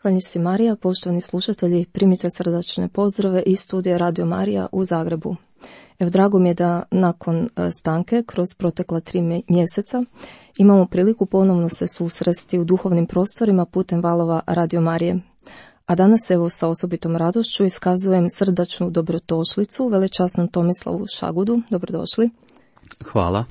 Hvala si Marija, poštovani slušatelji, primite srdačne pozdrave iz studija Radio Marija u Zagrebu. Evo, drago mi je da nakon stanke, kroz protekla 3 mjeseca, imamo priliku ponovno se susresti u duhovnim prostorima putem valova Radio Marije. A danas evo sa osobitom radošću iskazujem srdačnu dobrodošlicu velečasnom Tomislavu Šagudu. Dobrodošli. Hvala.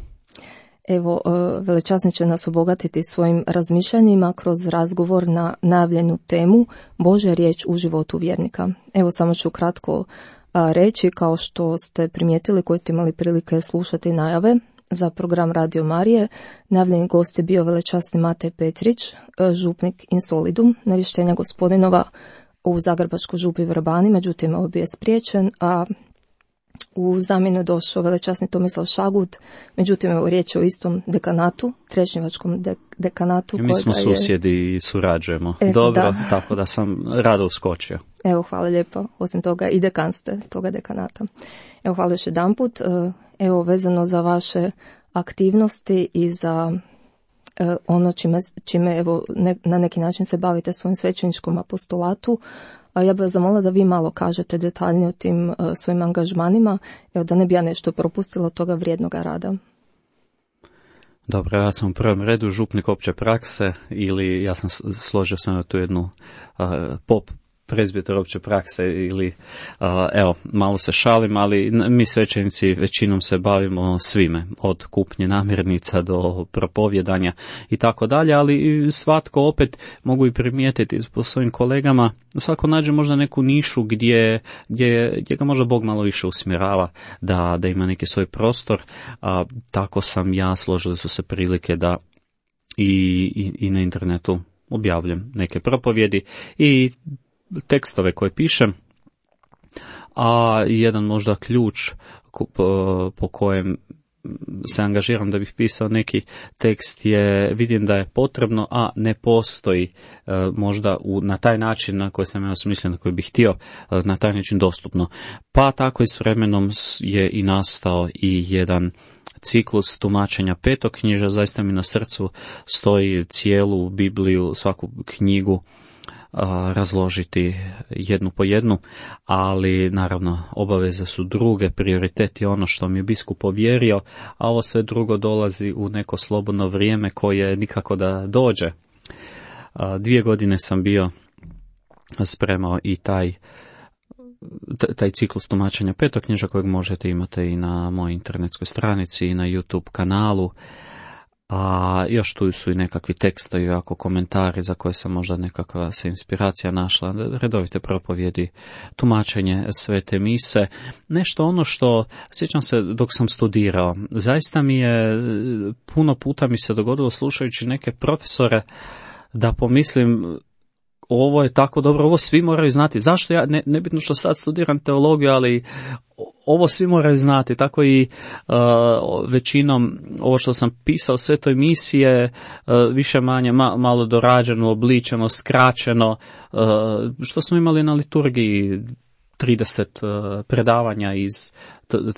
Evo, velečasni će nas obogatiti svojim razmišljanjima kroz razgovor na najavljenu temu Božja riječ u životu vjernika. Evo, samo ću kratko reći, kao što ste primijetili koji ste imali prilike slušati najave za program Radio Marije. Najavljeni gost je bio velečasni Matej Petrić, župnik Insolidum, navještenja gospodinova u Zagrebačkoj župi Vrbani, međutim ovo bio je spriječen, a u zamjenu je došao velečasni Tomislav Šagud, međutim evo riječ je o istom dekanatu, Trešnjevačkom dekanatu. Mi smo susjedi i surađujemo. Dobro, da. Tako da sam rado uskočio. Evo, hvala lijepo. Osim toga i dekan ste toga dekanata. Evo, hvala još jedanput. Evo, vezano za vaše aktivnosti i za ono čime evo, na neki način se bavite svojim svećeničkom apostolatu, ja bih vas zamolila da vi malo kažete detaljnije o tim svojim angažmanima, evo, da ne bi ja nešto propustila od toga vrijednoga rada. Dobro, ja sam u prvom redu župnik opće prakse, ili ja sam složio sam na tu jednu prezbiter opće prakse, ili evo, malo se šalim, ali mi svećenici većinom se bavimo svime, od kupnje namirnica do propovijedanja i tako dalje, ali svatko opet, mogu i primijetiti po svojim kolegama, svako nađe možda neku nišu gdje ga možda Bog malo više usmjerava da ima neki svoj prostor, tako sam ja, složili su se prilike da i na internetu objavljam neke propovjedi i tekstove koje pišem, a jedan možda ključ po kojem se angažiram da bih pisao neki tekst je, vidim da je potrebno, a ne postoji možda na taj način na koji sam ja smislio, na koji bih htio, na taj način dostupno. Pa tako i s vremenom je i nastao i jedan ciklus tumačenja petoknjižja. Zaista mi na srcu stoji cijelu Bibliju, svaku knjigu razložiti jednu po jednu, ali naravno obaveze su druge, prioritet je ono što mi je biskup povjerio, a ovo sve drugo dolazi u neko slobodno vrijeme koje nikako da dođe. 2 godine sam bio spremao i taj ciklus tumačenja petoknjižja kojeg možete imati i na mojoj internetskoj stranici i na YouTube kanalu. A još tu su i nekakvi tekstovi, ako komentari za koje se možda nekakva se inspiracija našla, redovite propovjedi, tumačenje svete mise, nešto ono što, sjećam se dok sam studirao, zaista mi je, puno puta mi se dogodilo slušajući neke profesore da pomislim, ovo je tako dobro, ovo svi moraju znati. Zašto ja, nebitno što sad studiram teologiju, ali ovo svi moraju znati. Tako i većinom ovo što sam pisao, sve to emisije, više manje malo dorađeno, obličeno, skraćeno, što smo imali na liturgiji, 30 predavanja iz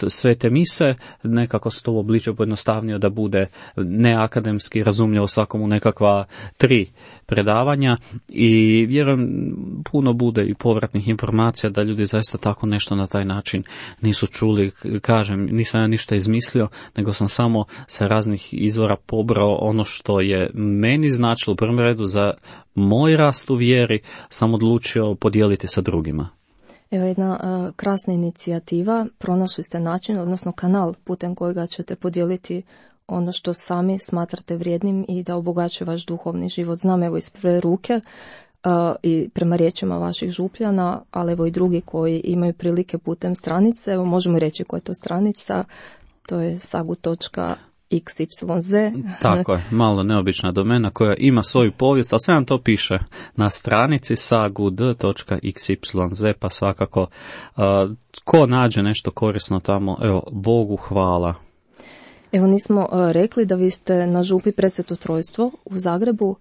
svete mise, nekako se to uobličio pojednostavnio da bude neakademski razumljivo svakomu nekakva 3 predavanja i vjerujem puno bude i povratnih informacija da ljudi zaista tako nešto na taj način nisu čuli. Kažem, nisam ja ništa izmislio, nego sam samo sa raznih izvora pobrao ono što je meni značilo u prvom redu za moj rast u vjeri, sam odlučio podijeliti sa drugima. Evo jedna krasna inicijativa, pronašli ste način, odnosno kanal putem kojega ćete podijeliti ono što sami smatrate vrijednim i da obogaćuje vaš duhovni život. Znam evo iz prve ruke i prema riječima vaših župljana, ali evo i drugi koji imaju prilike putem stranice, evo možemo reći koja je to stranica, to je sagu.xyz. Tako je, malo neobična domena koja ima svoju povijest, ali sve nam to piše na stranici sagud.xyz, pa svakako ko nađe nešto korisno tamo, evo, Bogu hvala. Evo nismo rekli da vi ste na župi Presveto Trojstvo u Zagrebu,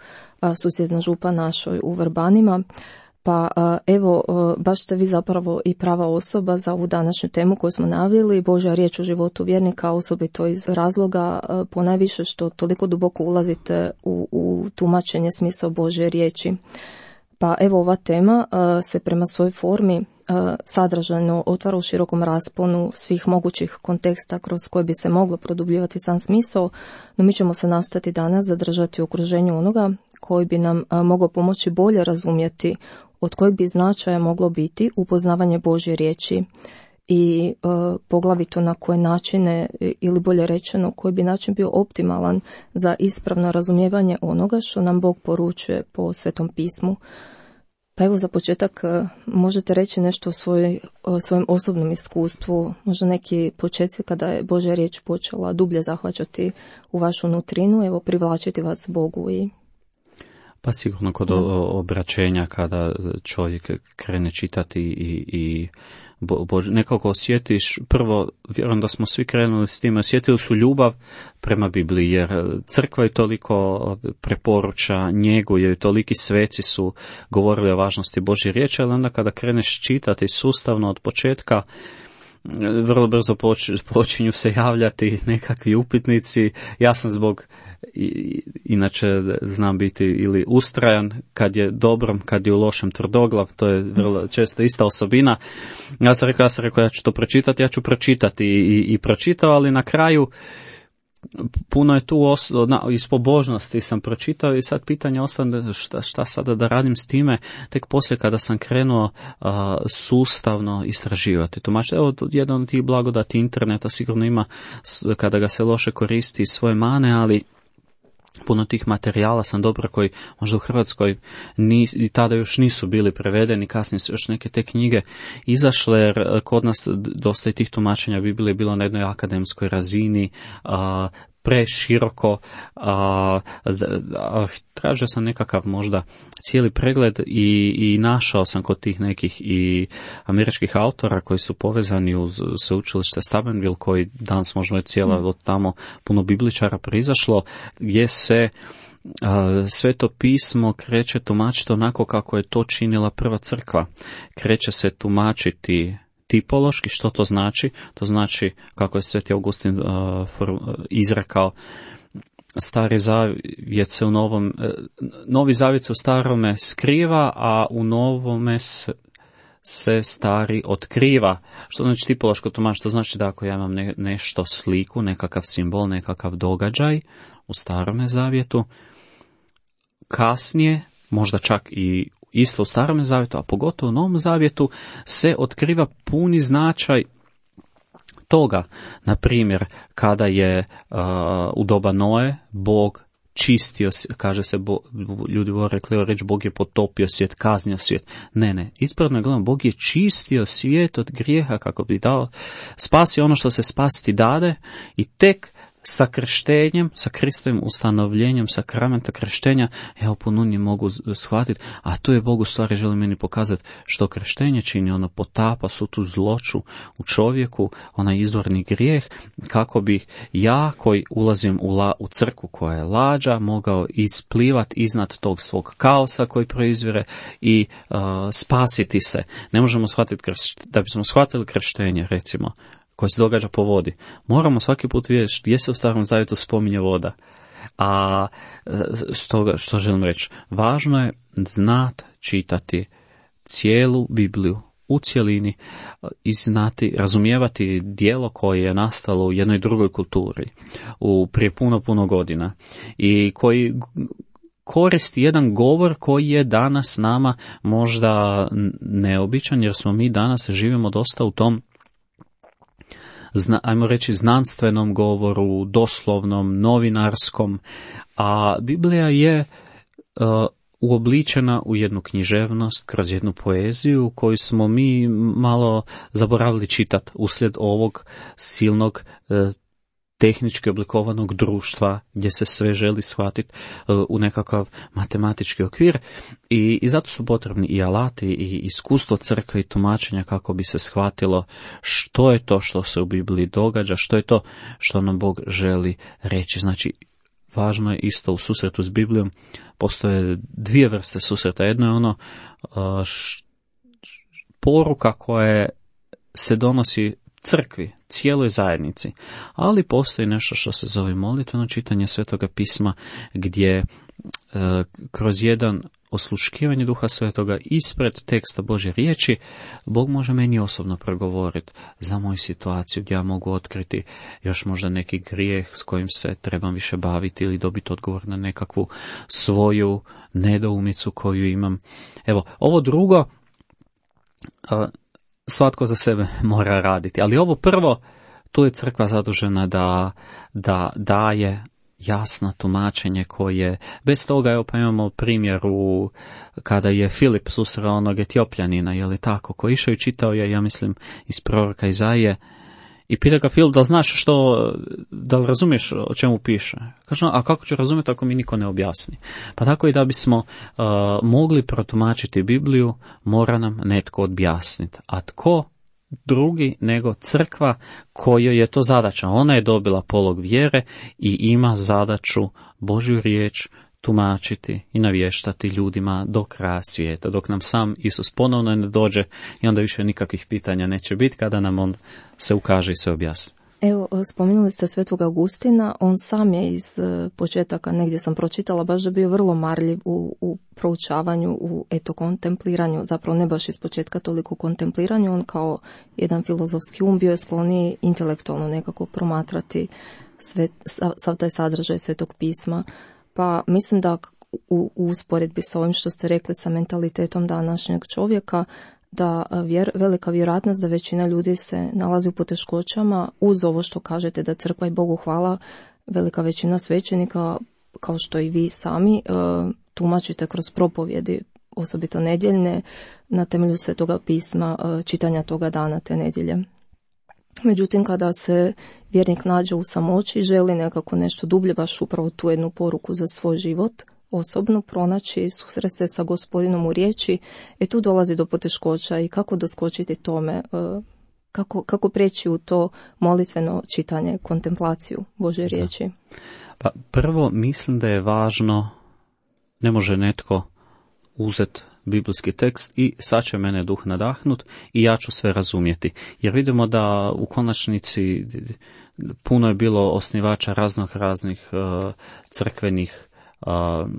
susjedna župa našoj u Vrbanima, pa evo baš ste vi zapravo i prava osoba za ovu današnju temu koju smo naveli, Božja riječ u životu vjernika, osobito iz razloga ponajviše što toliko duboko ulazite u tumačenje smisla Božje riječi. Pa evo ova tema se prema svojoj formi sadržajno otvara u širokom rasponu svih mogućih konteksta kroz koje bi se moglo produbljivati sam smisao, no mi ćemo se nastojati danas zadržati u okruženju onoga koji bi nam mogao pomoći bolje razumjeti od kojeg bi značaja moglo biti upoznavanje Božje riječi i poglavito na koje načine, ili bolje rečeno koji bi način bio optimalan za ispravno razumijevanje onoga što nam Bog poručuje po Svetom pismu. Pa evo za početak možete reći nešto o svojem osobnom iskustvu, možda neki početci kada je Božja riječ počela dublje zahvaćati u vašu nutrinu, evo privlačiti vas Bogu i... Pa sigurno kod obraćenja kada čovjek krene čitati i nekako osjetiš, prvo vjerujem da smo svi krenuli s time, osjetili su ljubav prema Bibliji, jer crkva je toliko preporuča, njeguje i toliki sveci su govorili o važnosti Božje riječi, ali onda kada kreneš čitati sustavno od početka, vrlo brzo počinju se javljati nekakvi upitnici. Ja sam zbog inače znam biti ili ustrajan kad je dobrom, kad je u lošem tvrdoglav, to je vrlo često ista osobina. Ja sam rekao ja ću to pročitati, ja ću pročitati i pročitao, ali na kraju puno je tu iz pobožnosti sam pročitao i sad pitanje ostane šta sada da radim s time, tek poslije kada sam krenuo sustavno istraživati. Evo, jedan od tih blagodati interneta sigurno ima kada ga se loše koristi svoje mane, ali puno tih materijala sam dobro koji možda u Hrvatskoj i tada još nisu bili prevedeni, kasnije su još neke te knjige izašle, jer kod nas dosta i tih tumačenja Biblije bilo na jednoj akademskoj razini, preširoko, tražio sam nekakav možda cijeli pregled i našao sam kod tih nekih i američkih autora koji su povezani uz sveučilište Steubenville, koji danas možemo je cijela od tamo puno bibličara proizašlo, gdje se Sveto pismo kreće tumačiti onako kako je to činila prva crkva. Kreće se tumačiti tipološki. Što to znači? To znači, kako je Sveti Augustin izrekao, Stari zavjet se u Novi zavjet se u starome skriva, a u novome se stari otkriva. Što znači tipološko tumačenje? To znači da ako ja imam nešto sliku, nekakav simbol, nekakav događaj u starome zavjetu, kasnije, možda čak i isto u starome zavjetu, a pogotovo u Novom zavjetu, se otkriva puni značaj toga. Na primjer, kada je u doba Noe Bog čistio, kaže se, ljudi vole rekli reći Bog je potopio svijet, kaznio svijet. Ne, ispravno je gledano, Bog je čistio svijet od grijeha kako bi dao, spasio ono što se spasiti dade i tek sa krštenjem, sa Kristovim ustanovljenjem, sakramenta krštenja, evo pununje mogu shvatiti, a to je Bog u stvari želi meni pokazati što krštenje čini, ono potapa su tu zloću u čovjeku, onaj izvorni grijeh, kako bi ja koji ulazim u crkvu koja je lađa, mogao isplivati iznad tog svog kaosa koji proizvire i spasiti se. Ne možemo shvatiti, da bismo shvatili krštenje, recimo, koje se događa po vodi, moramo svaki put vidjeti gdje se u Starom zavjetu spominje voda. A što želim reći? Važno je znati čitati cijelu Bibliju u cjelini i znati, razumijevati djelo koje je nastalo u jednoj drugoj kulturi prije puno godina i koji koristi jedan govor koji je danas nama možda neobičan, jer smo mi danas živimo dosta u tom, ajmo reći, znanstvenom govoru, doslovnom, novinarskom, a Biblija je uobličena u jednu književnost, kroz jednu poeziju koju smo mi malo zaboravili čitati uslijed ovog silnog tehnički oblikovanog društva gdje se sve želi shvatiti u nekakav matematički okvir i zato su potrebni i alati i iskustvo crkve i tumačenja kako bi se shvatilo što je to što se u Bibliji događa, što je to što nam Bog želi reći. Znači, važno je isto u susretu s Biblijom, postoje dvije vrste susreta. Jedno je ono poruka koja se donosi crkvi, cijeloj zajednici, ali postoji nešto što se zove molitveno čitanje Svetoga pisma, gdje kroz jedan osluškivanje Duha Svetoga ispred teksta Božje riječi, Bog može meni osobno progovoriti za moju situaciju, gdje ja mogu otkriti još možda neki grijeh s kojim se trebam više baviti ili dobiti odgovor na nekakvu svoju nedoumicu koju imam. Evo, ovo drugo svatko za sebe mora raditi, ali ovo prvo, tu je crkva zadužena da daje jasno tumačenje koje, bez toga, evo pa imamo primjer kada je Filip susreo onog Etiopljanina, je li tako, koji išao i čitao je, ja mislim, iz proroka Izaije, i pita ga Filip, da li znaš da li razumiješ o čemu piše? Kaže, a kako ću razumjeti ako mi niko ne objasni? Pa tako i da bismo mogli protumačiti Bibliju, mora nam netko objasniti. A tko drugi nego crkva kojoj je to zadaća? Ona je dobila polog vjere i ima zadaću Božju riječ tumačiti i navještati ljudima do kraja svijeta, dok nam sam Isus ponovno ne dođe i onda više nikakvih pitanja neće biti kada nam on se ukaže i se objasni. Evo, spominjali ste Svetog Augustina, on sam je iz početaka, negdje sam pročitala, baš da bio vrlo marljiv u proučavanju, u kontempliranju, zapravo ne baš iz početka toliko kontempliranju, on kao jedan filozofski bio je skloniji intelektualno nekako promatrati sav taj sadržaj Svetog pisma. Pa mislim da u usporedbi sa ovim što ste rekli sa mentalitetom današnjeg čovjeka, da velika vjerojatnost da većina ljudi se nalazi u poteškoćama, uz ovo što kažete da crkva i Bogu hvala, velika većina svećenika, kao što i vi sami, tumačite kroz propovjedi, osobito nedjeljne, na temelju Svetoga pisma, čitanja toga dana te nedjelje. Međutim, kada se vjernik nađe u samoći, želi nekako nešto dublje, baš upravo tu jednu poruku za svoj život, osobno pronaći, susresti sa Gospodinom u riječi, tu dolazi do poteškoća i kako doskočiti tome, kako preći u to molitveno čitanje, kontemplaciju Božje riječi. Pa prvo mislim da je važno, ne može netko uzeti biblijski tekst i sad će mene duh nadahnut i ja ću sve razumjeti. Jer vidimo da u konačnici puno je bilo osnivača raznih crkvenih,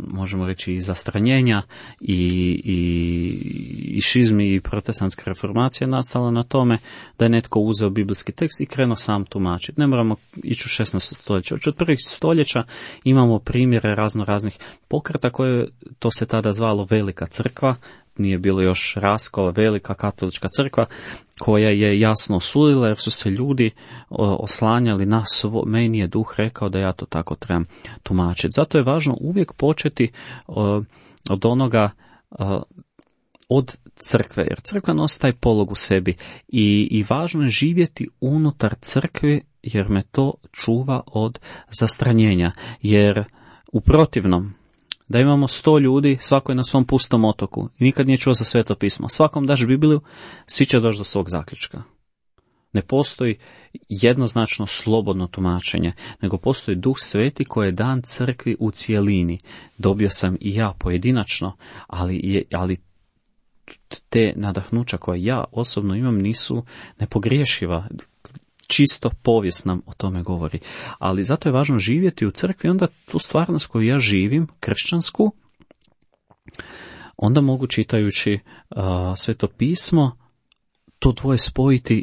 možemo reći, i zastranjenja i šizmi i protestantska reformacija nastala na tome da je netko uzeo biblijski tekst i krenuo sam tumačiti. Ne moramo ići u 16. stoljeća. Od prvih stoljeća imamo primjere raznih pokreta koje, to se tada zvalo Velika crkva, nije bilo još raskola, Velika katolička crkva, koja je jasno osudila jer su se ljudi oslanjali na meni je duh rekao da ja to tako trebam tumačiti. Zato je važno uvijek početi od onoga, od crkve, jer crkva nosi taj polog u sebi i važno je živjeti unutar crkve jer me to čuva od zastranjenja, jer u protivnom, da imamo 100 ljudi, svako je na svom pustom otoku i nikad nije čuo za Sveto pismo. Svakom daš Bibliju, svi će doći do svog zaključka. Ne postoji jednoznačno slobodno tumačenje, nego postoji Duh Sveti koji je dan crkvi u cijelini. Dobio sam i ja pojedinačno, ali te nadahnuća koje ja osobno imam nisu nepogriješiva. Čisto povijest nam o tome govori. Ali zato je važno živjeti u crkvi, onda tu stvarnost koju ja živim, kršćansku, onda mogu čitajući Sveto pismo to dvoje spojiti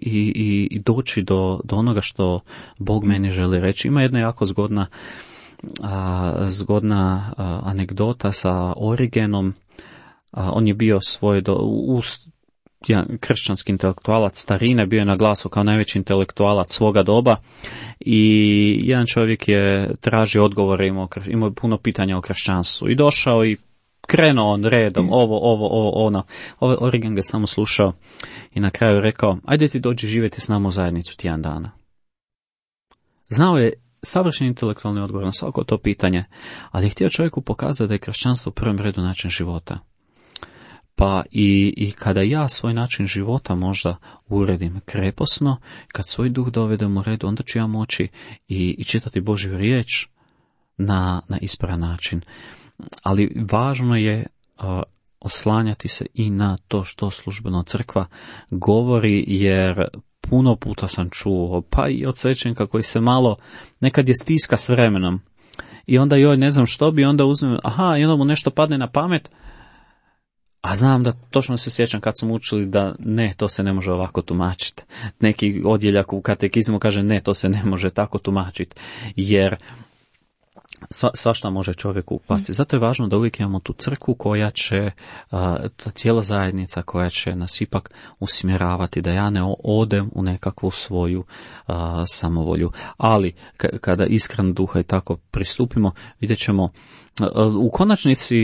i doći do onoga što Bog meni želi reći. Ima jedna jako zgodna anegdota sa Origenom. On je bio kršćanski intelektualac starine, bio je na glasu kao najveći intelektualac svoga doba i jedan čovjek je tražio odgovore, imao puno pitanja o kršćanstvu i došao i krenuo on redom, ono. Origen ga samo slušao i na kraju rekao, ajde ti dođi živjeti s nama u zajednicu tjedan dana. Znao je savršen intelektualni odgovor na svako to pitanje, ali je htio čovjeku pokazati da je kršćanstvo u prvom redu način života. Pa i kada ja svoj način života možda uredim kreposno, kad svoj duh dovedem u redu, onda ću ja moći i čitati Božju riječ na ispravan način. Ali važno je oslanjati se i na to što službeno crkva govori, jer puno puta sam čuo, pa i od svećenika koji se malo nekad je stiska s vremenom. I onda joj ne znam što bi, onda uzmem, i onda mu nešto padne na pamet, A znam da točno se sjećam kad smo učili da ne, to se ne može ovako tumačiti. Neki odjeljak u katekizmu kaže ne, to se ne može tako tumačiti. Jer svašta može čovjek upasti. Zato je važno da uvijek imamo tu crkvu koja će, ta cijela zajednica koja će nas ipak usmjeravati, da ja ne odem u nekakvu svoju samovolju. Ali kada iskren duha i tako pristupimo, vidjet ćemo u konačnici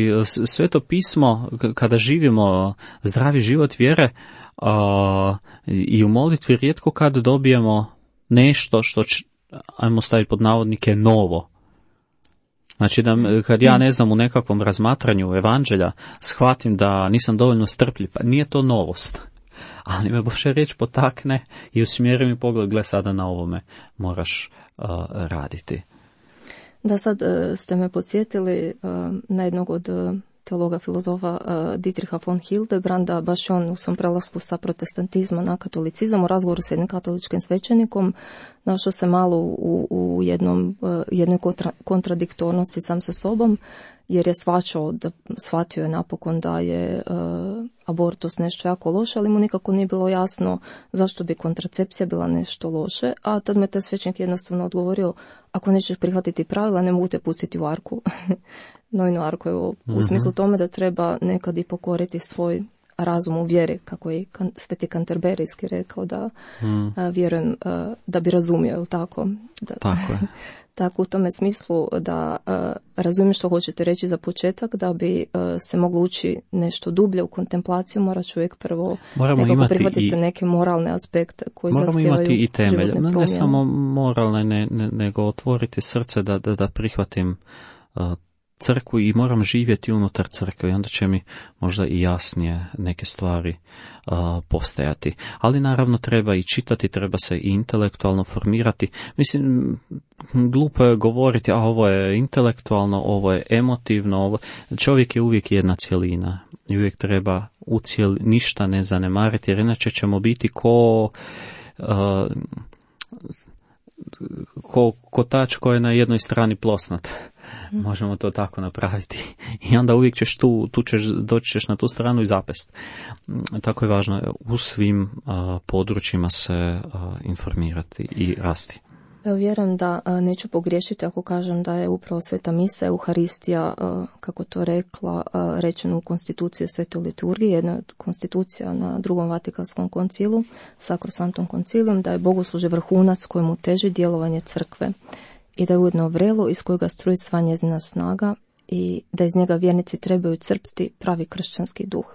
Sveto pismo, kada živimo zdravi život vjere i u molitvi, rijetko kad dobijemo nešto što će, ajmo staviti pod navodnike, novo. Znači da kad ja ne znam u nekakvom razmatranju evanđelja shvatim da nisam dovoljno strpljiv, pa nije to novost. Ali me Božja riječ potakne i usmjeri mi pogled, gle sada na ovome moraš raditi. Da, sad ste me podsjetili na jednog od teologa, filozofa Dietricha von Hildebranda, baš on u svom prelasku sa protestantizma na katolicizam u razgovoru s jednim katoličkim svećenikom našao se malo u jednoj kontradiktornosti sam sa sobom, jer je shvatio je napokon da je abortus nešto jako loše, ali mu nikako nije bilo jasno zašto bi kontracepcija bila nešto loše, a tad me taj svećenik jednostavno odgovorio, ako nećeš prihvatiti pravila, ne mogu te pustiti u arku. Nojnu arku, evo, u smislu tome da treba nekad i pokoriti svoj razum u vjeri, kako je Sveti Kanterberijski rekao, da vjerujem da bi razumio, je li tako? Tako je. Tako u tome smislu da razumijem što hoćete reći za početak, da bi se moglo ući nešto dublje u kontemplaciju, mora čovjek prvo nekako prihvatiti neke moralne aspekte koji zahtijevaju životne promjene. Moramo imati i temelj, ne samo moralne, nego otvoriti srce da prihvatim crkvu i moram živjeti unutar crkve i onda će mi možda i jasnije neke stvari postajati. Ali naravno treba i čitati, treba se i intelektualno formirati. Mislim, glupo je govoriti, a ovo je intelektualno, ovo je emotivno, čovjek je uvijek jedna cjelina i uvijek treba ništa ne zanemariti, jer inače ćemo biti ko kotač koji je na jednoj strani plosnat. Možemo to tako napraviti. I onda uvijek ćeš doći ćeš na tu stranu i zapest. Tako je važno u svim područjima se informirati i rasti. Ja vjerujem da neću pogriješiti ako kažem da je upravo Sveta Misa, Euharistija, kako to rekla, rečeno u konstituciji o Svetoj liturgiji, jedna od konstitucija na Drugom Vatikanskom koncilu, Sakrosanktum koncilium, da je bogoslužje vrhunac kojemu teži djelovanje crkve i da je ujedno vrelo iz kojega struji sva njezina snaga i da iz njega vjernici trebaju crpsti pravi kršćanski duh.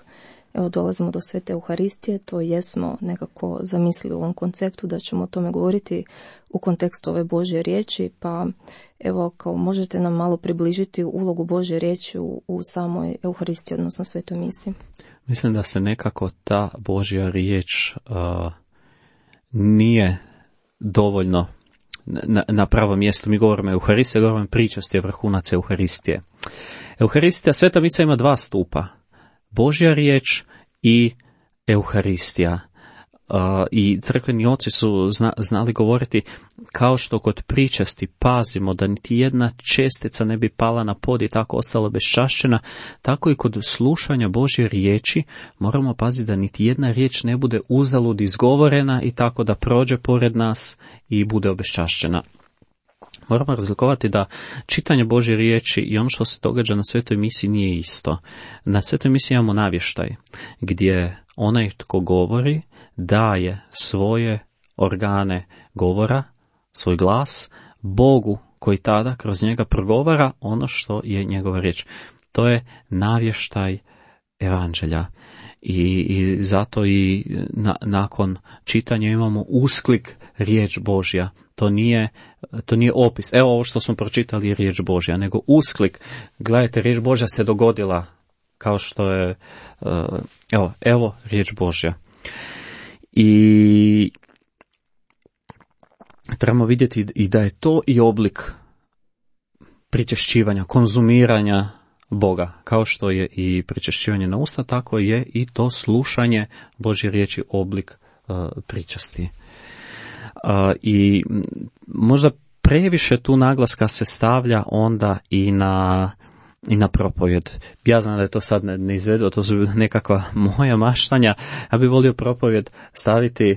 Evo dolazimo do Svete Euharistije, to jesmo nekako zamislili u ovom konceptu da ćemo o tome govoriti u kontekstu ove Božje riječi, pa evo kao možete nam malo približiti ulogu Božje riječi u samoj Euharistiji, odnosno Svetoj Misi. Mislim da se nekako ta Božja riječ nije dovoljno na pravo mjesto. Mi govorimo Euharistije, govorimo pričasti je vrhunac Euharistije. Euharistija, Sveta Misa ima dva stupa. Božja riječ i Euharistija. I crkveni oci su znali govoriti kao što kod pričasti pazimo da niti jedna čestica ne bi pala na pod i tako ostala beščašćena, tako i kod slušanja Božje riječi moramo paziti da niti jedna riječ ne bude uzalud izgovorena i tako da prođe pored nas i bude obeščašćena. Moramo razlikovati da čitanje Božje riječi i ono što se događa na Svetoj Misi nije isto. Na Svetoj Misi imamo navještaj gdje onaj tko govori daje svoje organe govora, svoj glas, Bogu koji tada kroz njega progovara ono što je njegova riječ. To je navještaj evanđelja. I zato i nakon čitanja imamo usklik riječ Božja. To nije opis. Evo ovo što smo pročitali je riječ Božja, nego usklik. Gledajte, riječ Božja se dogodila kao što je evo riječ Božja. I trebamo vidjeti i da je to i oblik pričešćivanja, konzumiranja Boga. Kao što je i pričešćivanje na usta, tako je i to slušanje Božje riječi oblik pričasti. I možda previše tu naglaska se stavlja onda i na i na propovjed. Ja znam da je to sad neizvedivo, to su nekakva moja maštanja. Ja bih volio propovjed staviti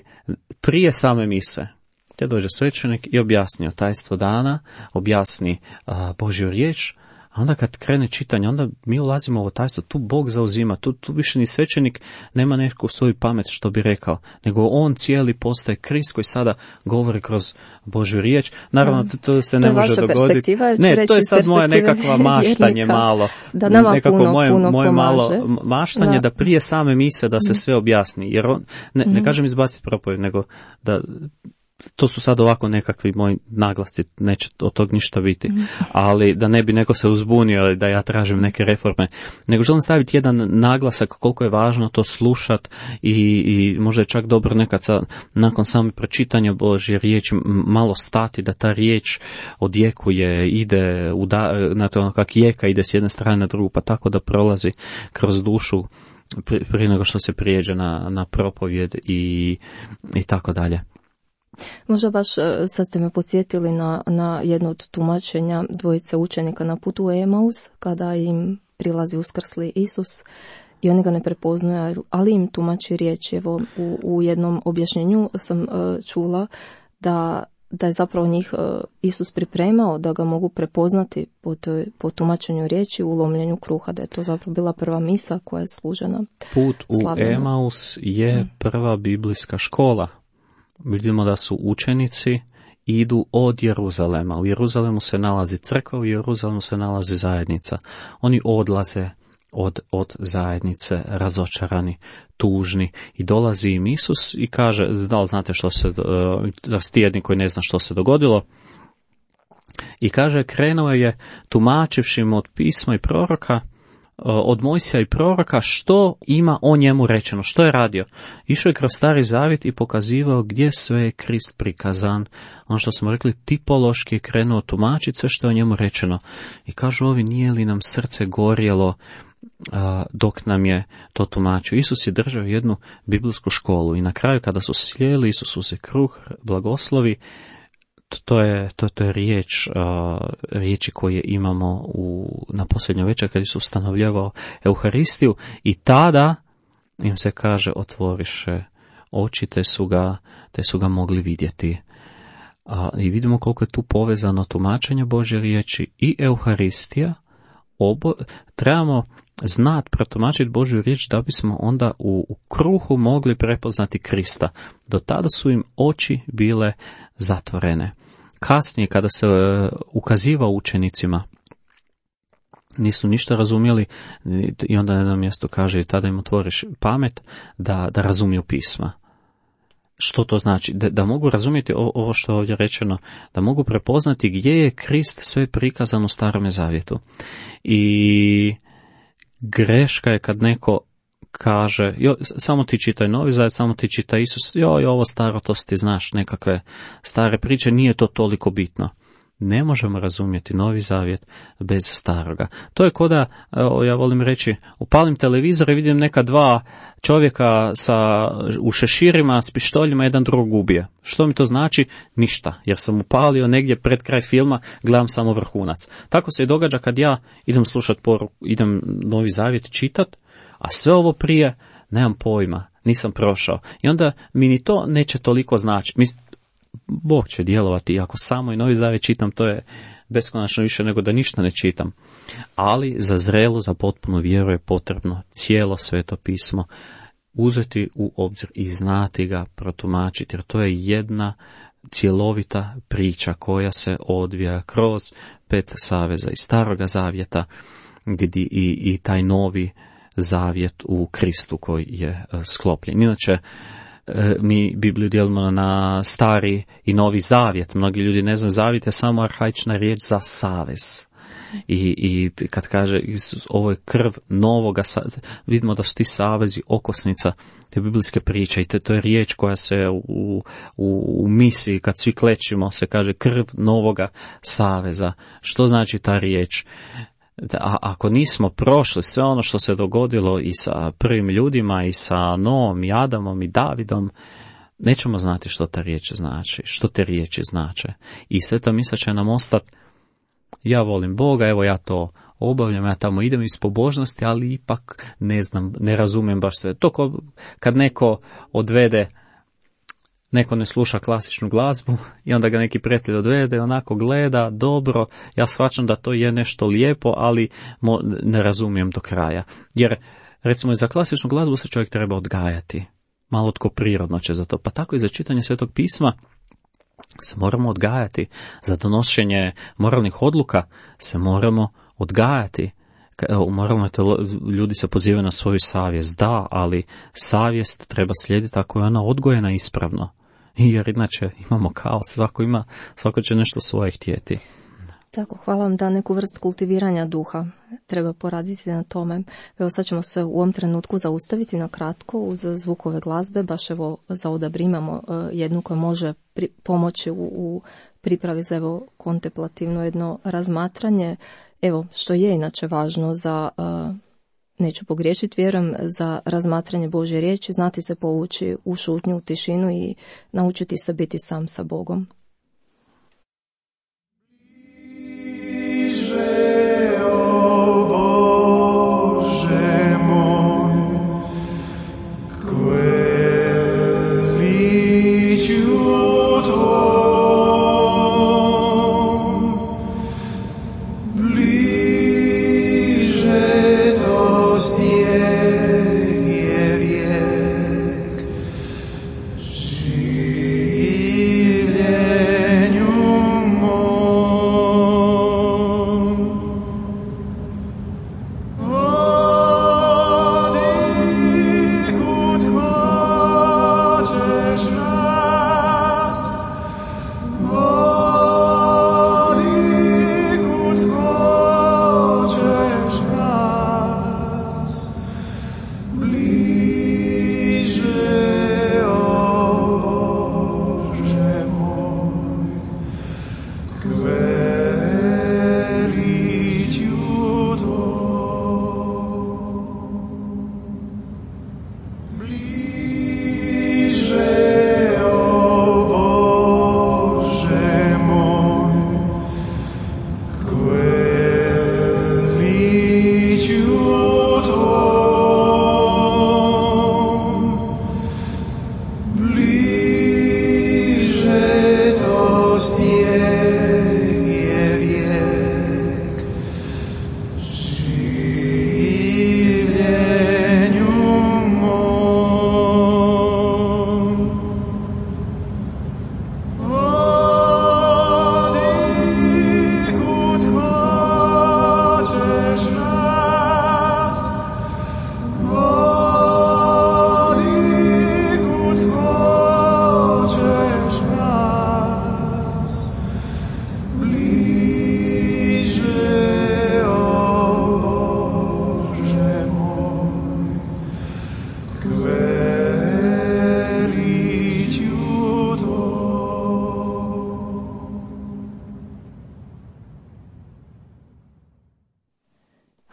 prije same mise. Te dođe svećenik i objasni tajstvo dana, objasni Božju riječ, a onda kad krene čitanje, onda mi ulazimo u ovo tajstvo, tu Bog zauzima, tu više ni svećenik nema neku svoju pamet što bi rekao, nego on cijeli postaje Krist koji sada govori kroz Božju riječ. Naravno, to se ne može dogoditi. Ne, to je sad moje nekakva maštanje malo. Da nama nekako moje malo maštanje da prije same mise da se sve objasni. Jer on, ne kažem izbaciti propovjed, nego da... To su sad ovako nekakvi moji naglasci, neće od tog ništa biti, ali da ne bi neko se uzbunio da ja tražim neke reforme, nego želim staviti jedan naglasak koliko je važno to slušat i možda je čak dobro nekad nakon samog pročitanja Božje riječi malo stati, da ta riječ odjekuje, ide, znate ono kak jeka ide s jedne strane na drugu, pa tako da prolazi kroz dušu prije nego što se prijeđe na propovjed i tako dalje. Možda baš sad ste me podsjetili na jedno od tumačenja dvojice učenika na putu u Emaus, kada im prilazi uskrsli Isus i oni ga ne prepoznaju, ali im tumači riječ. Evo, u jednom objašnjenju sam čula da je zapravo njih Isus pripremao da ga mogu prepoznati po tumačenju riječi u lomljenju kruha, da je to zapravo bila prva misa koja je služena. Put u Emaus je prva biblijska škola. Vidimo da su učenici idu od Jeruzalema. U Jeruzalemu se nalazi crkva, u Jeruzalemu se nalazi zajednica. Oni odlaze od zajednice, razočarani, tužni, i dolazi im Isus i kaže, da li znate što se, rastijedni koji ne zna što se dogodilo, i kaže, krenuo je tumačivši mu od pisma i proroka, od Mojsija i proroka, što ima o njemu rečeno, što je radio. Išao je kroz Stari zavjet i pokazivao gdje sve je Krist prikazan. Ono što smo rekli, tipološki je krenuo tumačiti sve što je o njemu rečeno. I kažu ovi, nije li nam srce gorjelo dok nam je to tumačio. Isus je držao jednu biblijsku školu i na kraju kada su sjeli, Isus uzeo kruh, blagoslovi. To je riječi koje imamo na posljednjoj večer kad Isus ustanovljavao Euharistiju, i tada im se kaže, otvoriše oči, te su ga mogli vidjeti. I vidimo koliko je tu povezano tumačenje Božje riječi i Euharistija. Trebamo znati protumačiti Božju riječ da bismo onda u kruhu mogli prepoznati Krista. Do tada su im oči bile zatvorene. Kasnije, kada se ukazivao učenicima, nisu ništa razumjeli, i onda na jednom mjestu kaže, tada im otvoriš pamet da razumiju pisma. Što to znači? Da mogu razumjeti ovo što je ovdje rečeno, da mogu prepoznati gdje je Krist sve prikazan u Starome zavjetu. I greška je kad neko kaže, samo ti čitaj Novi zavjet, samo ti čitaj Isus, ovo staro, to ti znaš, nekakve stare priče, nije to toliko bitno. Ne možemo razumjeti Novi zavjet bez staroga. To je ko da, ja volim reći, upalim televizor i vidim neka dva čovjeka u šeširima s pištoljima, jedan drugog ubije. Što mi to znači? Ništa, jer sam upalio negdje pred kraj filma, gledam samo vrhunac. Tako se i događa kad ja idem slušati poruku, idem Novi zavjet čitat, a sve ovo prije nemam pojma, nisam prošao. I onda mi ni to neće toliko značiti. Bog će djelovati, ako samo i Novi zavjet čitam, to je beskonačno više nego da ništa ne čitam. Ali za zrelu, za potpunu vjeru je potrebno cijelo Sveto pismo uzeti u obzir i znati ga protumačiti, jer to je jedna cjelovita priča koja se odvija kroz 5 saveza iz Staroga zavjeta, gdje i taj Novi zavjet u Kristu koji je sklopljen. Inače, mi Bibliju dijelimo na Stari i Novi zavjet. Mnogi ljudi ne znaju, zavjet je samo arhaična riječ za savez. I kad kaže ovo je krv novoga, vidimo da su ti savezi okosnica te biblijske priče, i to je riječ koja se u misiji, kad svi klečimo, se kaže krv novoga saveza. Što znači ta riječ? A ako nismo prošli sve ono što se dogodilo i sa prvim ljudima, i sa Noom, i Adamom, i Davidom, nećemo znati što ta riječ znači, što te riječi znače. I Sveta misa će nam ostati, ja volim Boga, evo ja to obavljam, ja tamo idem iz pobožnosti, ali ipak ne znam, ne razumijem baš sve. To kad neko odvede, neko ne sluša klasičnu glazbu i onda ga neki prijatelj odvede, onako gleda, dobro, ja shvaćam da to je nešto lijepo, ali ne razumijem do kraja. Jer, recimo, za klasičnu glazbu se čovjek treba odgajati. Malo tko prirodno će za to. Pa tako i za čitanje Svetog pisma se moramo odgajati. Za donošenje moralnih odluka se moramo odgajati. Moralno ljudi se pozivaju na svoju savjest. Da, ali savjest treba slijediti ako je ona odgojena ispravno. Jer inače imamo kaos. Svako će nešto svoje htjeti. Tako, hvala vam da neku vrstu kultiviranja duha treba poraditi na tome. Evo sad ćemo se u ovom trenutku zaustaviti na kratko uz zvukove glazbe, baš evo za odabir imamo jednu koja može pomoći u pripravi za evo kontemplativno jedno razmatranje, evo što je inače važno za, neću pogriješiti, vjerujem, za razmatranje Božje riječi, znati se povući u šutnju, u tišinu i naučiti se biti sam sa Bogom.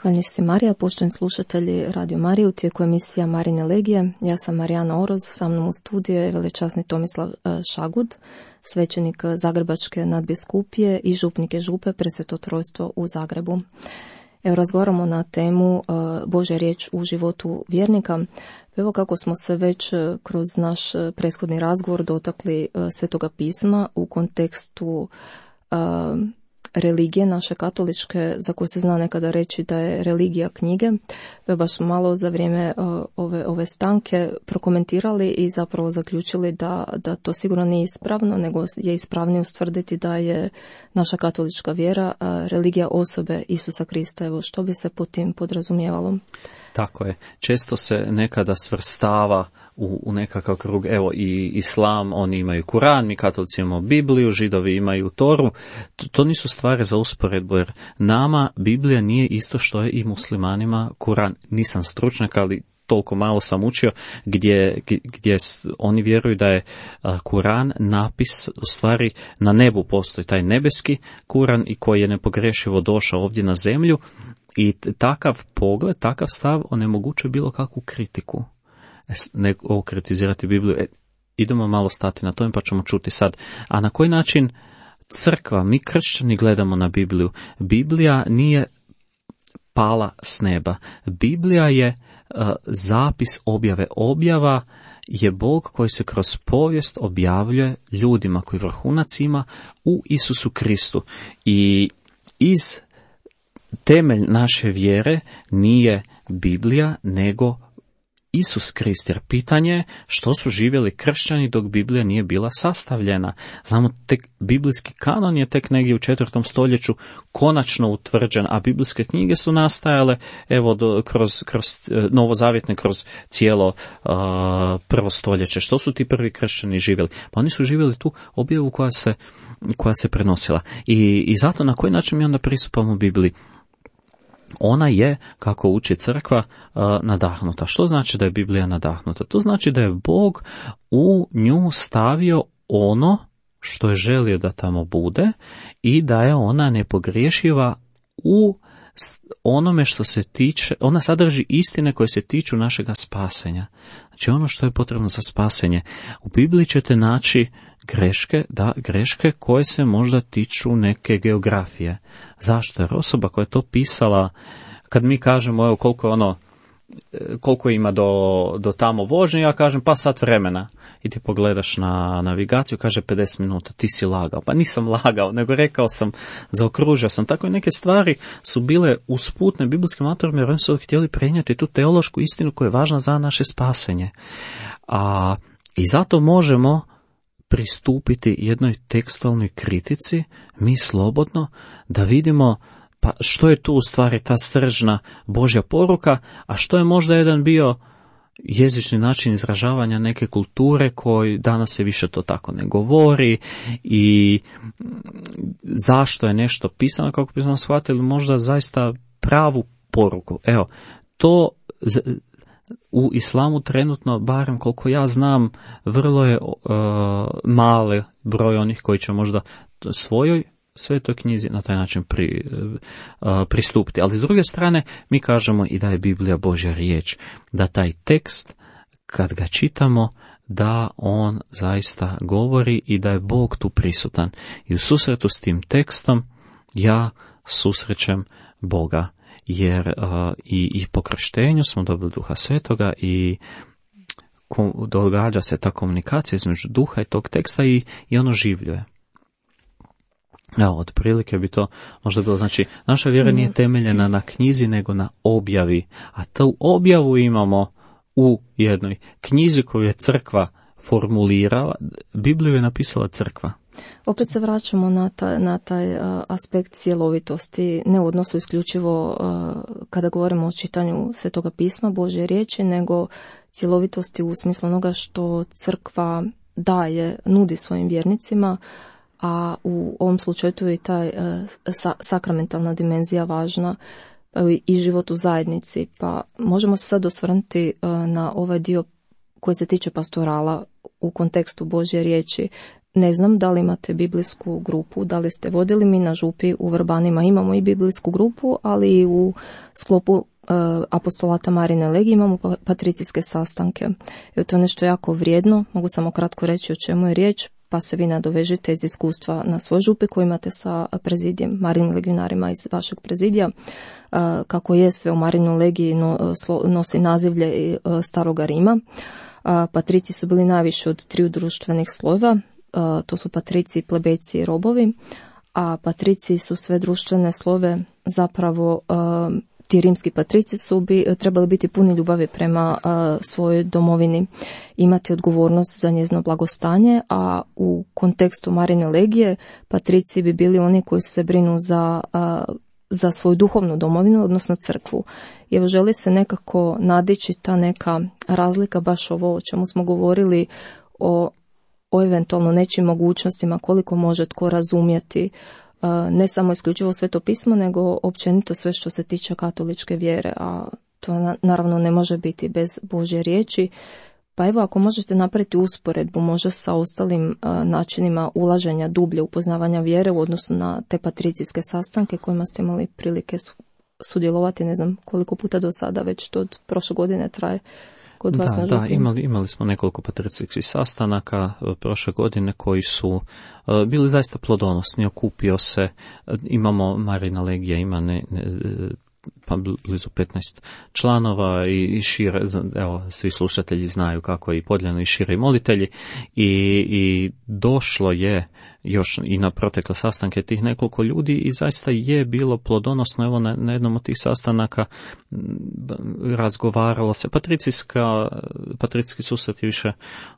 Hvala si Marija, poštovani slušatelji Radio Marije, u tijeku emisija Marine Legije. Ja sam Marijana Oroz, sa mnom u studiju je velečasni Tomislav Šagud, svećenik Zagrebačke nadbiskupije i župnik župe Presveto trojstvo u Zagrebu. Evo, razgovaramo na temu Božja riječ u životu vjernika. Evo kako smo se već kroz naš prethodni razgovor dotakli Svetoga pisma u kontekstu religije naše katoličke, za koju se zna nekada reći da je religija knjige. Baš malo za vrijeme ove stanke prokomentirali i zapravo zaključili da to sigurno nije ispravno, nego je ispravnije ustvrditi da je naša katolička vjera religija osobe Isusa Krista. Evo, što bi se pod tim podrazumijevalo? Tako je. Često se nekada svrstava u nekakav krug. Evo, i islam, oni imaju Kuran, mi katolici imamo Bibliju, Židovi imaju Toru. To nisu stvari za usporedbu, jer nama Biblija nije isto što je i muslimanima Kuran. Nisam stručnjak, ali toliko malo sam učio, gdje oni vjeruju da je Kuran napis, u stvari na nebu postoji taj nebeski Kuran i koji je nepogrešivo došao ovdje na zemlju. I takav pogled, takav stav onemogućuje bilo kakvu kritiku. Ne ovo kritizirati Bibliju. Idemo malo stati na tome pa ćemo čuti sad. A na koji način crkva, mi kršćani gledamo na Bibliju? Biblija nije pala s neba. Biblija je zapis objave. Objava je Bog koji se kroz povijest objavljuje ljudima, koji vrhunac ima u Isusu Kristu. I iz temelj naše vjere nije Biblija, nego Isus Krist, jer pitanje je što su živjeli kršćani dok Biblija nije bila sastavljena. Znamo, tek biblijski kanon je tek negdje u 4. stoljeću konačno utvrđen, a biblijske knjige su nastajale kroz novozavjetne, kroz cijelo prvo stoljeće. Što su ti prvi kršćani živjeli? Pa oni su živjeli tu objavu koja se prenosila. I zato na koji način mi onda pristupamo Bibliji? Ona je, kako uči crkva, nadahnuta. Što znači da je Biblija nadahnuta? To znači da je Bog u nju stavio ono što je želio da tamo bude i da je ona nepogriješiva u onome što se tiče, ona sadrži istine koje se tiču našega spasenja. Znači ono što je potrebno za spasenje. U Bibliji ćete naći greške koje se možda tiču neke geografije. Zašto? Jer osoba koja je to pisala, kad mi kažemo evo koliko ima do tamo vožnje, ja kažem pa sat vremena. I ti pogledaš na navigaciju, kaže 50 minuta, ti si lagao. Pa nisam lagao, nego rekao sam, zaokružio sam. Tako i neke stvari su bile usputne biblijskim autorima, jer oni su htjeli prenijeti tu teološku istinu koja je važna za naše spasenje. I zato možemo pristupiti jednoj tekstualnoj kritici, mi slobodno, da vidimo pa što je tu u stvari ta sržna Božja poruka, a što je možda jedan bio jezični način izražavanja neke kulture koji danas se više to tako ne govori i zašto je nešto pisano, kako bismo shvatili možda zaista pravu poruku. Evo, to u islamu trenutno, barem koliko ja znam, vrlo je mali broj onih koji će možda svojoj Svetoj knjizi na taj način pristupiti. Ali s druge strane, mi kažemo i da je Biblija Božja riječ, da taj tekst, kad ga čitamo, da on zaista govori i da je Bog tu prisutan. I u susretu s tim tekstom ja susrećem Boga, jer i po krštenju smo dobili Duha Svetoga i događa se ta komunikacija između duha i tog teksta i ono življuje. Evo, otprilike bi to možda bilo, znači, naša vjera nije temeljena na knjizi, nego na objavi, a tu objavu imamo u jednoj knjizi koju je crkva formulirala, Bibliju je napisala crkva. Opet se vraćamo na taj aspekt cjelovitosti, ne u odnosu isključivo kada govorimo o čitanju Svetoga pisma, Božje riječi, nego cjelovitosti u smislu onoga što crkva daje, nudi svojim vjernicima, a u ovom slučaju tu je i taj sakramentalna dimenzija važna i život u zajednici. Pa možemo se sad osvrnuti na ovaj dio koji se tiče pastorala u kontekstu Božje riječi. Ne znam da li imate biblijsku grupu, da li ste vodili, mi na župi u Vrbanima imamo i biblijsku grupu, ali i u sklopu apostolata Marine Legije imamo patricijske sastanke. I to je nešto jako vrijedno, mogu samo kratko reći o čemu je riječ, pa se vi nadovežite iz iskustva na svoj župi koji imate sa prezidijem, Marinim legionarima iz vašeg prezidija. Kako je sve u Marinoj legiji nosi nazivlje Staroga Rima. Patrici su bili najviše od 3 društvenih slojeva, to su patrici, plebejci i robovi, a patrici su sve društvene slojeve, zapravo ti rimski patrici su trebali biti puni ljubavi prema svojoj domovini, imati odgovornost za njezino blagostanje, a u kontekstu Marine legije patrici bi bili oni koji se brinu za svoju duhovnu domovinu, odnosno crkvu. I evo, želi se nekako nadići ta neka razlika, baš ovo o čemu smo govorili, o eventualno nečim mogućnostima, koliko može tko razumjeti ne samo isključivo Sveto pismo, nego općenito sve što se tiče katoličke vjere, a to naravno ne može biti bez Božje riječi. Pa evo, ako možete napraviti usporedbu možda sa ostalim načinima ulaženja dublje upoznavanja vjere u odnosu na te patricijske sastanke kojima ste imali prilike sudjelovati, ne znam koliko puta do sada, već to od prošle godine traje kod vas na župi. Da, imali smo nekoliko patricijskih sastanaka prošle godine koji su bili zaista plodonosni, okupio se, imamo Marina legija, ima pa blizu 15 članova i šire, evo, svi slušatelji znaju kako je i podijeljeno i šire i molitelji i došlo je još i na protekle sastanke tih nekoliko ljudi i zaista je bilo plodonosno. Evo na jednom od tih sastanaka razgovaralo se, patricijski susret je više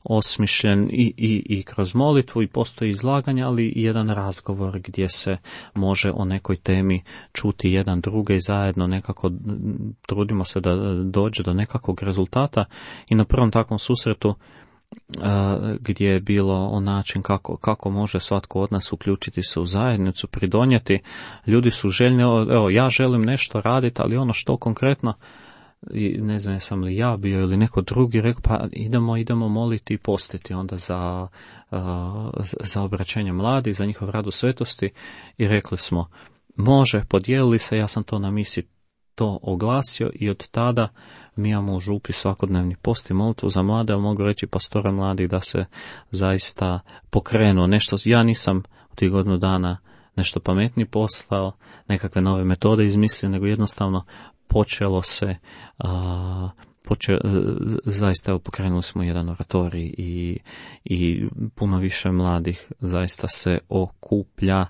osmišljen i kroz molitvu i postoji izlaganje, ali i jedan razgovor gdje se može o nekoj temi čuti jedan druge i zajedno nekako trudimo se da dođe do nekakvog rezultata. I na prvom takvom susretu gdje je bilo o način kako može svatko od nas uključiti se u zajednicu, pridonijeti. Ljudi su željni, evo ja želim nešto raditi, ali ono što konkretno, i ne znam jesam li ja bio ili neko drugi, rekao pa idemo moliti i postiti onda za obraćenje mladih, za njihov rad u svetosti i rekli smo može, podijelili se, ja sam to na misi to oglasio i od tada mi imamo u župi svakodnevni post i molitvu za mlade, ali mogu reći pastora mladih da se zaista pokrenuo nešto. Ja nisam u tih godinu dana nešto pametnije poslao, nekakve nove metode izmislio, nego jednostavno počelo se, zaista evo, pokrenuli smo jedan oratorij i puno više mladih zaista se okuplja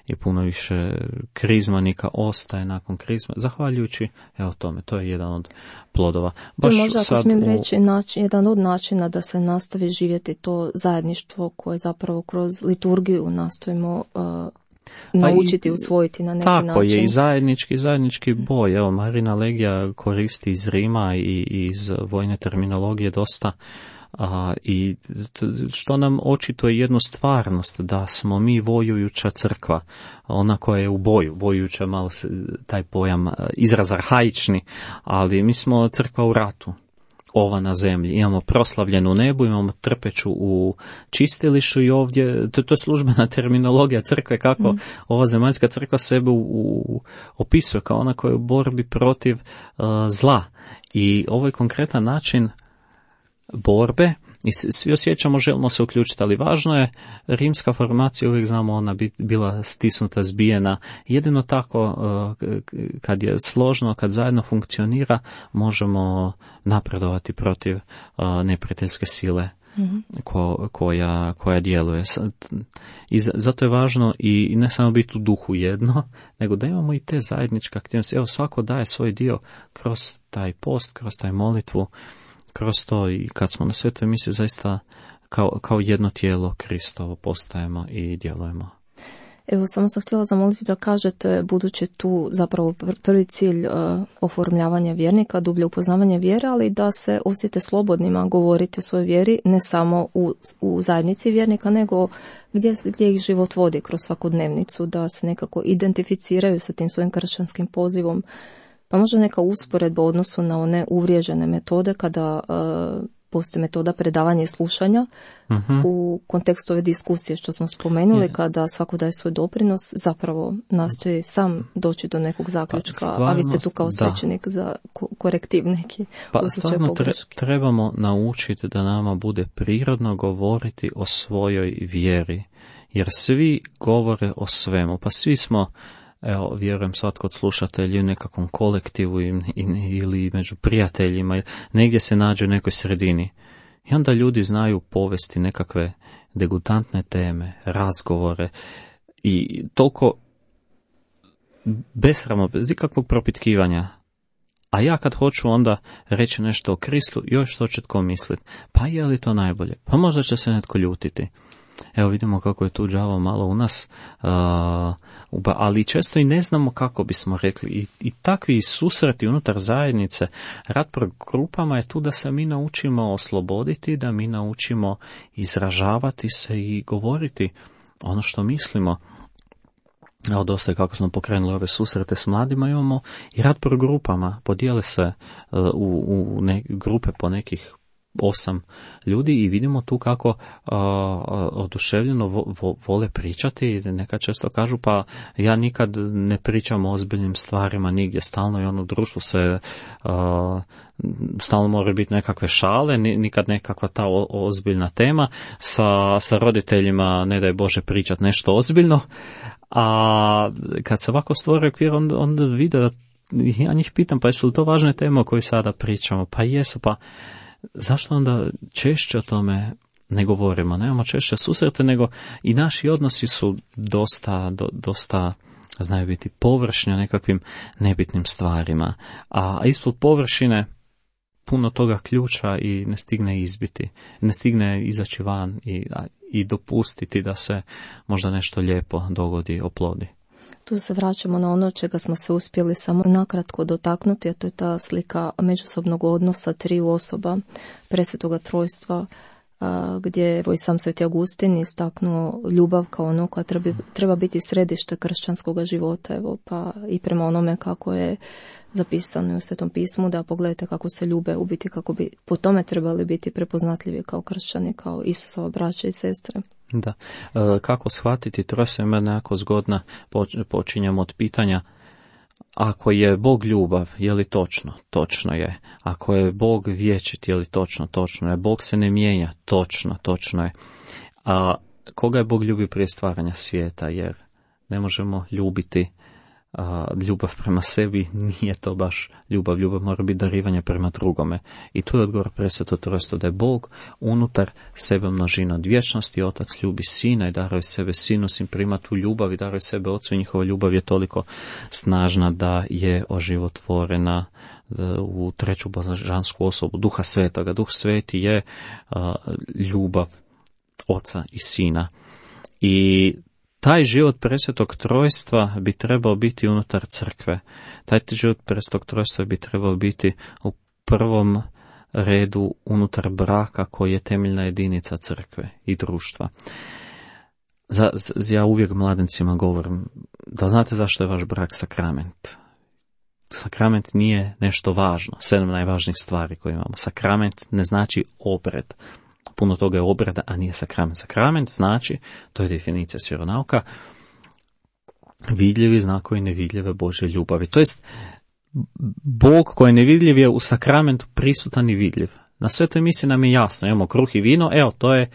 i puno više krizmanika ostaje nakon krizma, zahvaljujući evo tome, to je jedan od plodova. Baš možda ako smijem reći, jedan od načina da se nastavi živjeti to zajedništvo koje zapravo kroz liturgiju nastojimo naučiti, usvojiti na neki način. Tako je, i zajednički boj. Evo, Marina Legija koristi iz Rima i iz vojne terminologije dosta, i što nam očito je jednu stvarnost, da smo mi vojujuća crkva, ona koja je u boju, vojujuća, malo se taj pojam, izraz arhaični, ali mi smo crkva u ratu. Ova na zemlji. Imamo proslavljenu u nebu, imamo trpeću u čistilištu i ovdje, to je službena terminologija crkve, kako ova zemaljska crkva sebe opisuje kao ona koja je u borbi protiv zla. I ovo je konkretan način borbe i svi osjećamo, želimo se uključiti, ali važno je, rimska formacija, uvijek znamo, ona bila stisnuta, zbijena. Jedino tako, kad je složno, kad zajedno funkcionira, možemo napredovati protiv neprijateljske sile koja djeluje. I zato je važno i ne samo biti u duhu jedno, nego da imamo i te zajedničke aktivnosti. Evo, svako daje svoj dio kroz taj post, kroz taj molitvu, kroz to, i kad smo na svetoj misi zaista kao jedno tijelo Kristovo postajemo i djelujemo. Evo, samo sam htjela zamoliti da kažete, budući tu zapravo prvi cilj oformljavanja vjernika, dublje upoznavanje vjere, ali da se osjete slobodnima govoriti o svojoj vjeri, ne samo u zajednici vjernika, nego gdje ih život vodi kroz svakodnevnicu, da se nekako identificiraju sa tim svojim kršćanskim pozivom. Pa možda neka usporedba u odnosu na one uvriježene metode kada postoji metoda predavanja i slušanja u kontekstu ove diskusije što smo spomenuli, kada svako daje svoj doprinos, zapravo nastoji sam doći do nekog zaključka, a vi ste tu kao svećenik za korektiv neki. Pa stvarno trebamo naučiti da nama bude prirodno govoriti o svojoj vjeri, jer svi govore o svemu, pa svi smo, evo, vjerujem svatko od slušatelja u nekakvom kolektivu ili među prijateljima, negdje se nađe u nekoj sredini. I onda ljudi znaju povesti nekakve degutantne teme, razgovore i toliko besramno, bez ikakvog propitkivanja. A ja kad hoću onda reći nešto o Kristu, još što će tko misliti. Pa je li to najbolje? Pa možda će se netko ljutiti. Evo vidimo kako je tu đavo malo u nas, ali često i ne znamo kako bismo rekli. I takvi susreti unutar zajednice, rad po grupama je tu da se mi naučimo osloboditi, da mi naučimo izražavati se i govoriti ono što mislimo. Evo, dosta je kako smo pokrenuli ove susrete s mladima, imamo i rad po grupama, podijele se u grupe po nekih 8 ljudi i vidimo tu kako oduševljeno vole pričati. Neka često kažu, pa ja nikad ne pričam o ozbiljnim stvarima nigdje, stalno i ono u društvu se stalno moraju biti nekakve šale, nikad nekakva ta ozbiljna tema. Sa roditeljima ne daj Bože pričati nešto ozbiljno, a kad se ovako stvori okvir, onda vide da ja njih pitam, pa jesu li to važne teme o kojoj sada pričamo? Pa jesu, pa zašto onda češće o tome ne govorimo? Nemamo češće susrete, nego i naši odnosi su dosta znaju biti površni o nekakvim nebitnim stvarima. A ispod površine puno toga ključa i ne stigne izbiti, ne stigne izaći van i dopustiti da se možda nešto lijepo dogodi, oplodi. Tu se vraćamo na ono čega smo se uspjeli samo nakratko dotaknuti, a to je ta slika međusobnog odnosa triju osoba Presvetoga Trojstva, gdje evo i sam Sveti Augustin istaknuo ljubav kao ono koja treba biti središte kršćanskog života, evo, pa i prema onome kako je zapisano u Svetom pismu, da pogledajte kako se ljube, u biti kako bi po tome trebali biti prepoznatljivi kao kršćani, kao Isusova braća i sestre. Da. Kako shvatiti trojstvo ima nekako zgodna, počinjemo od pitanja, ako je Bog ljubav, je li točno? Točno je. Ako je Bog vječit, je li točno? Točno je. Bog se ne mijenja? Točno je. A koga je Bog ljubio prije stvaranja svijeta? Jer ne možemo ljubiti ljubav prema sebi, nije to baš ljubav. Ljubav mora biti darivanje prema drugome. I tu je odgovor Presveto Trojstvo, da je Bog unutar sebe množina od vječnosti. Otac ljubi Sina i daruje sebe Sinu, Sin prima tu ljubav i daruje sebe Otcu i njihova ljubav je toliko snažna da je oživotvorena u treću božansku osobu, Duha Svetoga. Duh Sveti je ljubav Oca i Sina. I taj život Presvetog Trojstva bi trebao biti unutar crkve. Taj život Presvetog Trojstva bi trebao biti u prvom redu unutar braka koji je temeljna jedinica crkve i društva. Ja uvijek mladencima govorim, da znate zašto je vaš brak sakrament? Sakrament nije nešto važno, 7 najvažnijih stvari koje imamo. Sakrament ne znači obred. Puno toga je obrada, a nije sakrament. Sakrament znači, to je definicija s vjeronauka, vidljivi znakovi nevidljive Božje ljubavi. To jest, Bog koji je nevidljiv je u sakramentu prisutan i vidljiv. Na svetoj misiji nam je jasno, imamo kruh i vino, evo, to je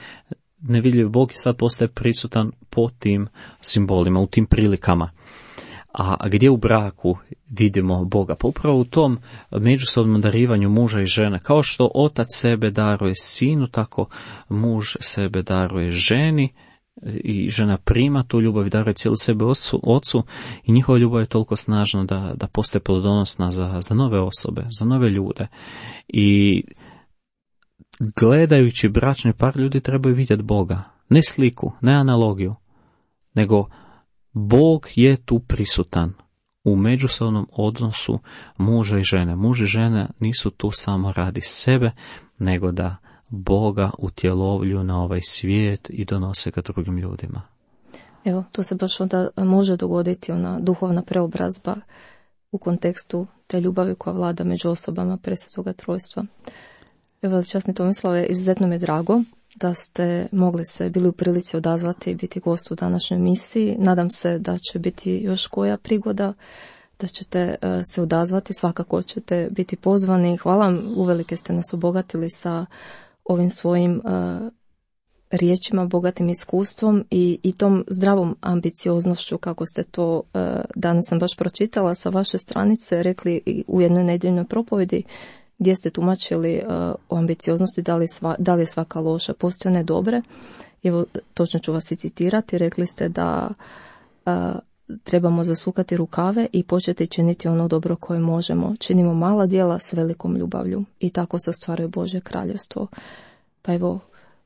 nevidljiv Bog i sad postaje prisutan po tim simbolima, u tim prilikama. A gdje u braku vidimo Boga? Pa upravo u tom međusobnom darivanju muža i žene. Kao što otac sebe daruje sinu, tako muž sebe daruje ženi i žena prima tu ljubav i daruje cijelu sebe ocu i njihova ljubav je toliko snažna da postaje plodonosna za nove osobe, za nove ljude. I gledajući bračni par, ljudi trebaju vidjeti Boga. Ne sliku, ne analogiju, nego Bog je tu prisutan u međusobnom odnosu muža i žene. Muž i žena nisu tu samo radi sebe, nego da Boga utjelovlju na ovaj svijet i donose ga drugim ljudima. Evo, tu se baš onda može dogoditi ona duhovna preobrazba u kontekstu te ljubavi koja vlada među osobama Presvetoga Trojstva. Evo, časni Tomislave, izuzetno mi je drago da ste bili u prilici odazvati i biti gost u današnjoj misiji. Nadam se da će biti još koja prigoda, da ćete se odazvati, svakako ćete biti pozvani. Hvala vam, uvelike ste nas obogatili sa ovim svojim riječima, bogatim iskustvom i tom zdravom ambicioznošću, kako ste to, danas sam baš pročitala sa vaše stranice, rekli u jednoj nedjeljnoj propovjedi, gdje ste tumačili o ambicioznosti, da li je svaka loša, postoje one dobre. Evo, točno ću vas i citirati, rekli ste da trebamo zasukati rukave i početi činiti ono dobro koje možemo. Činimo mala djela s velikom ljubavlju i tako se ostvaruje Božje kraljevstvo. Pa evo,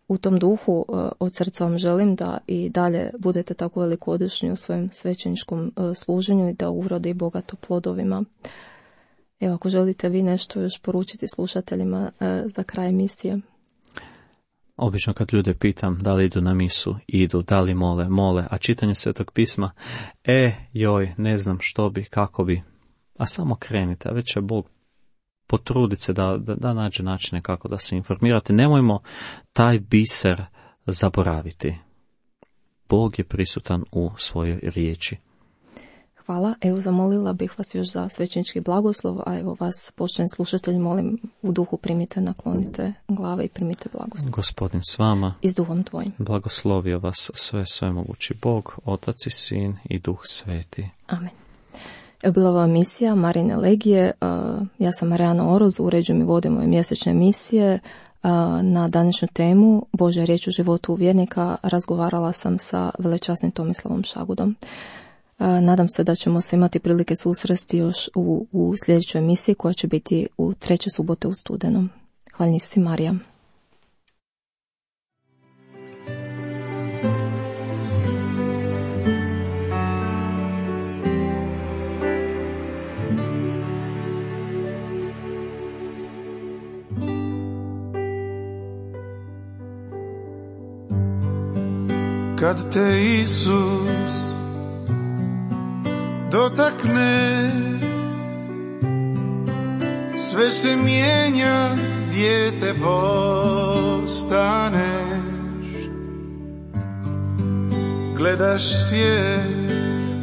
u tom duhu od srca vam želim da i dalje budete tako velikodušni u svojem svećeničkom služenju i da urode i bogato plodovima. Evo, ako želite vi nešto još poručiti slušateljima za kraj emisije. Obično kad ljude pitam da li idu na misu, idu, da li mole, a čitanje Svetog pisma, ne znam što bi, kako bi, a samo krenite, a već će Bog potruditi se da nađe načine kako da se informirate. Nemojmo taj biser zaboraviti. Bog je prisutan u svojoj riječi. Hvala. Evo, zamolila bih vas još za svećenički blagoslov, a evo vas, poštovani slušatelji, molim u duhu primite, naklonite glave i primite blagoslov. Gospodin s vama. I s duhom tvojim. Blagoslovio vas svemogući Bog, Otac i Sin i Duh Sveti. Amen. Bila ova misija Marine Legije. Ja sam Marijana Oroz, uređujem i vodim ove mjesečne emisije. Na današnju temu Božja riječ u životu vjernika razgovarala sam sa velečasnim Tomislavom Šagudom. Nadam se da ćemo se imati prilike susresti još u sljedećoj emisiji koja će biti u 3. subote u studenom. Hvala si, Marija. Kad te Isus dotakne, sve se mijenja, dijete postaneš. Gledaš svijet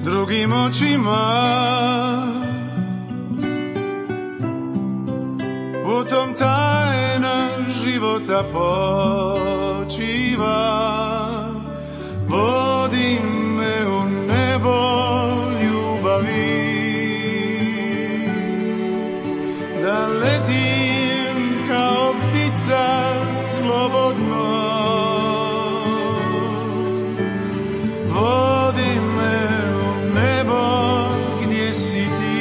drugim očima, u tom tajna života počiva. Vodi me u nebo ljubavi, da letim kao ptica slobodno. Vodi me u nebo gdje si ti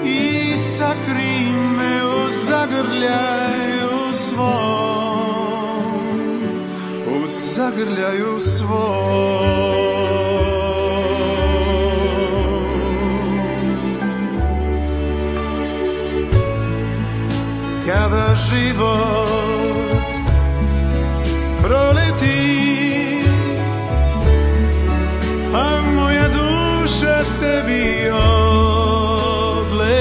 i sakri me u zagrljaju svom. Zagrljaju svoj. Kada život proleti, a moja duša tebi odleti,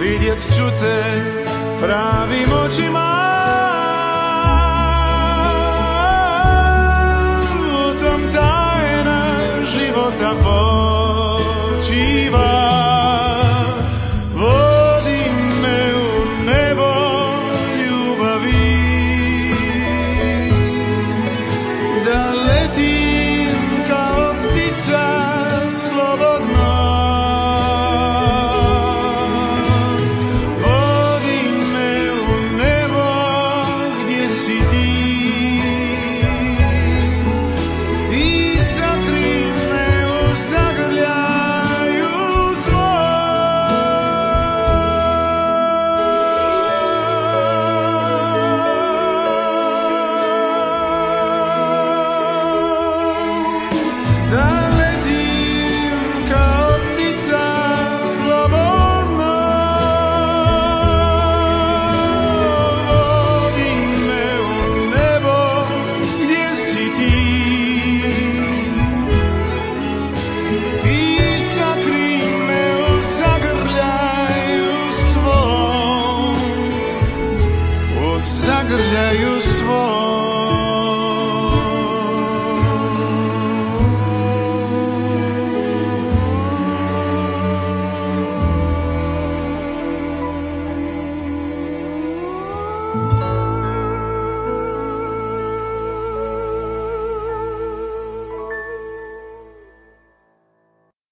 vidjet ću te pravim očima. Da počiva, vodi me u nebo ljubavi, da letim kao ptica slobodno. Vodi me u nebo gdje si ti i sakri zagrljaju